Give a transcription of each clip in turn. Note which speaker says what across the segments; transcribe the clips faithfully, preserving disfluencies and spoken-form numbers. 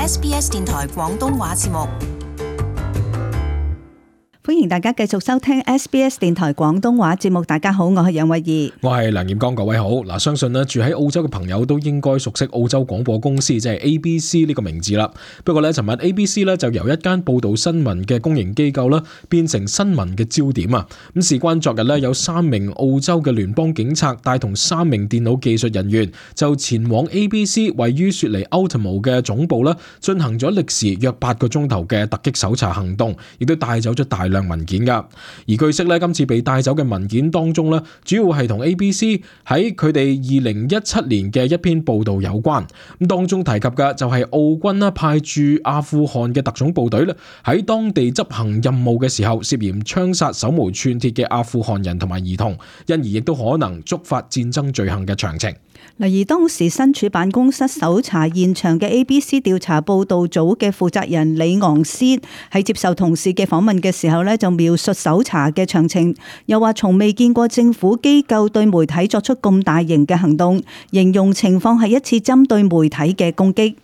Speaker 1: S B S 電台廣東話節目。
Speaker 2: 歡迎大家繼續收聽 S B S 電台廣東話節目。大家好，我係楊慧儀，
Speaker 3: 我係梁彥剛。各位好。嗱，相信咧住喺澳洲嘅朋友都應該熟悉澳洲廣播公司，即係 A B C 呢個名字啦。不過咧，尋日 A B C 咧就由一間報道新聞嘅公營機構啦，變成新聞嘅焦點啊。咁事關昨日咧，有三名澳洲嘅聯邦警察帶同三名電腦技術人員就前往 A B C 位於雪梨 Ultimo 嘅總部啦，進行咗歷時約八個鐘頭嘅突擊搜查行動，亦都帶走咗大量文件噶。而據悉咧，今次被帶走嘅文件當中咧，主要係同 A B C 喺佢哋二零一七年嘅一篇報道有關。咁當中提及嘅就係澳軍啦派駐阿富汗嘅特種部隊咧，喺當地執行任務嘅時候涉嫌槍殺手無寸鐵嘅阿富汗人同埋兒童，因而亦都可能觸發戰爭罪行嘅詳情。
Speaker 2: 嗱，而當時身處辦公室搜查現場嘅 A B C 調查報道組嘅負責人李昂斯喺接受同事嘅訪問嘅時候咧，就描述搜查嘅詳情，又話從未見過政府機構對媒體作出咁大型嘅行動，形容情況係一次針對媒體嘅攻擊。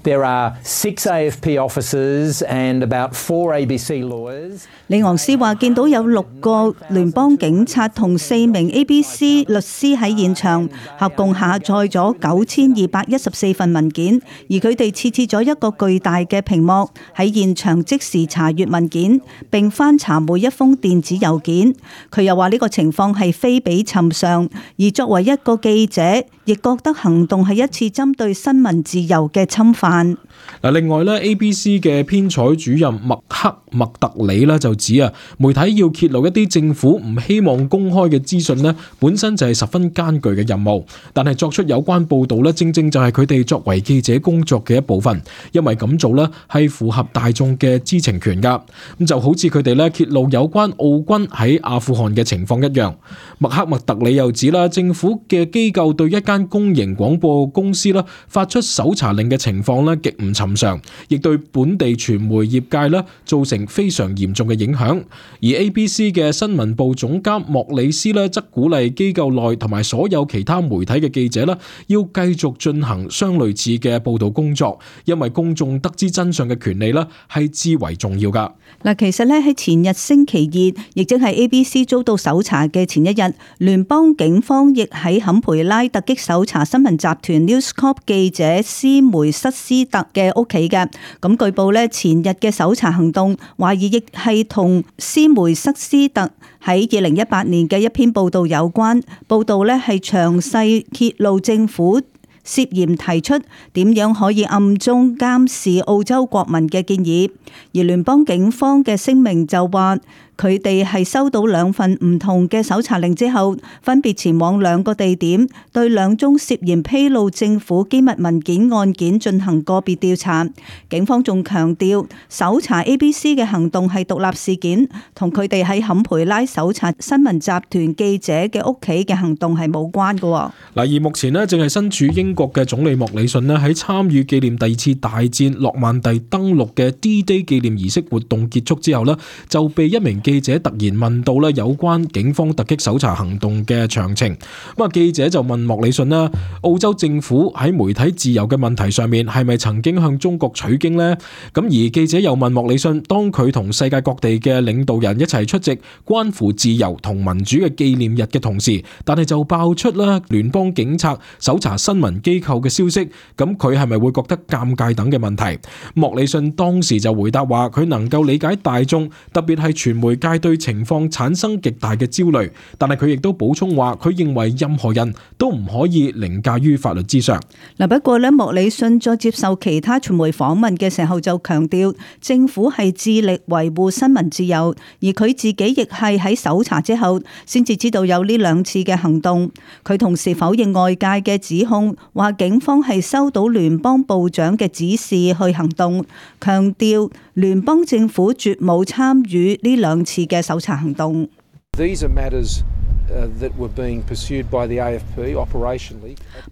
Speaker 4: There are six A F P officers and about four A B C lawyers.
Speaker 2: 李昂斯話見到有六個聯邦警察同四名 A B C 律師喺現場，合共下載咗九千二百一十四份文件，而佢哋設置咗一個巨大嘅屏幕喺現場即時查閱文件，並翻查每一封電子郵件。佢又話呢個情況係非比尋常，而作為一個記者，亦覺得行動係一次針對新聞自由嘅侵犯。
Speaker 3: 嗱，另外咧 A B C 嘅編採主任麥克麥特里咧就指啊，媒體要揭露一啲政府唔希望公開嘅資訊咧，本身就係十分艱巨嘅任務。但係作出有關報導咧，正正就係佢哋作為記者工作嘅一部分，因為咁做咧係符合大眾嘅知情權㗎。咁就好似佢哋咧揭露有關澳軍喺阿富汗嘅情況一樣。麥克麥特里又指啦，政府嘅機構對一間公營廣播公司啦發出搜查令嘅情況咧極唔尋常，亦對本地傳媒業界咧造成非常嚴重嘅影響。而 A B C 嘅新聞部總監莫里斯咧則鼓勵機構內同埋所有其他媒體嘅記者咧要繼續進行相類似嘅報道工作，因為公眾得知真相嘅權利咧係至為重要噶。
Speaker 2: 嗱，其實咧喺前日星期二，亦即係 A B C 遭到搜查嘅前一日，聯邦警方亦喺坎培拉突擊搜查新聞集團 News Corp 記者斯梅塞斯特嘅屋企嘅。咁據報咧，前日嘅搜查行動懷疑亦係同斯梅塞斯特喺二零一八年嘅一篇報道有關。報道咧係詳細揭露政府涉嫌提出點樣可以暗中監視澳洲國民嘅建議，而聯邦警方嘅聲明就話，佢哋係收到兩份唔同嘅搜查令之後，分別前往兩個地點，對兩宗涉嫌披露政府機密文件案件進行個別調查。警方仲強調，搜查 A B C 嘅行動係獨立事件，同佢哋喺坎培拉搜查新聞集團記者嘅屋企嘅行動係冇關嘅。
Speaker 3: 嗱，而目前呢，正係身處英國嘅總理莫里遜呢，喺參與紀念第二次大戰諾曼第登陸嘅 D-Day 紀念儀式活動結束之後呢，就被一名記者突然問到咧有關警方突擊搜查行動嘅詳情。咁啊，記者就問莫里遜啦，澳洲政府喺媒體自由嘅問題上面係咪曾經向中國取經呢？咁而記者又問莫里遜，當佢同世界各地嘅領導人一齊出席關乎自由同民主嘅紀念日嘅同時，但係就爆出啦聯邦警察搜查新聞機構嘅消息，咁佢係咪會覺得尷尬等嘅問題？莫里遜當時就回答話，佢能夠理解大眾，特別係傳媒界對情況產生極大嘅焦慮，但係佢亦都補充話，佢認為任何人都唔可以凌駕於法律之上。
Speaker 2: 嗱，不過咧，莫里遜在接受其他傳媒訪問嘅時候就強調，政府係致力維護新聞自由，而佢自己亦係喺搜查之後先至知道有呢兩次嘅行動。佢同時否認外界嘅指控，話警方係收到聯邦部長嘅指示去行動，強調聯邦政府絕冇參與呢兩次嘅搜查行動。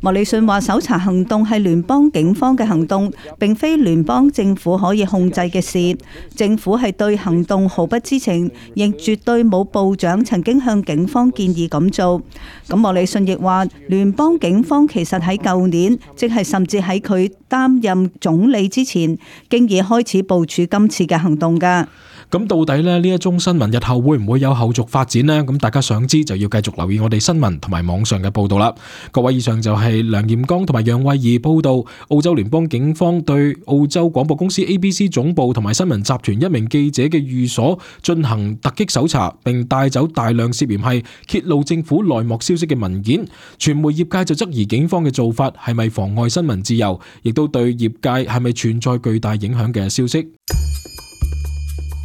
Speaker 2: 莫里遜話，搜查行動係聯邦警方嘅行動，並非聯邦政府可以控制嘅事。政府係對行動毫不知情，亦絕對冇部長曾經向警方建議咁做。咁莫里遜亦話，聯邦警方其實喺舊年，即係甚至喺佢擔任總理之前，經已開始部署今次嘅行動㗎。
Speaker 3: 咁到底咧呢一宗新聞日後會唔會有後續發展呢？咁大家想知就要繼續留意我哋新聞同埋網上嘅報道啦。各位，以上就係梁炎剛同埋楊慧儀報道澳洲聯邦警方對澳洲廣播公司 A B C 總部同埋新聞集團一名記者嘅寓所進行突擊搜查，並帶走大量涉嫌係揭露政府內幕消息嘅文件。傳媒業界就質疑警方嘅做法係咪妨礙新聞自由，亦都對業界係咪存在巨大影響嘅消息。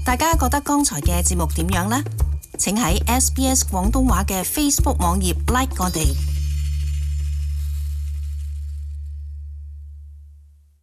Speaker 1: 大家覺得剛才嘅節目點樣呢？請喺 S B S 廣東話嘅 Facebook 網頁 like 我哋。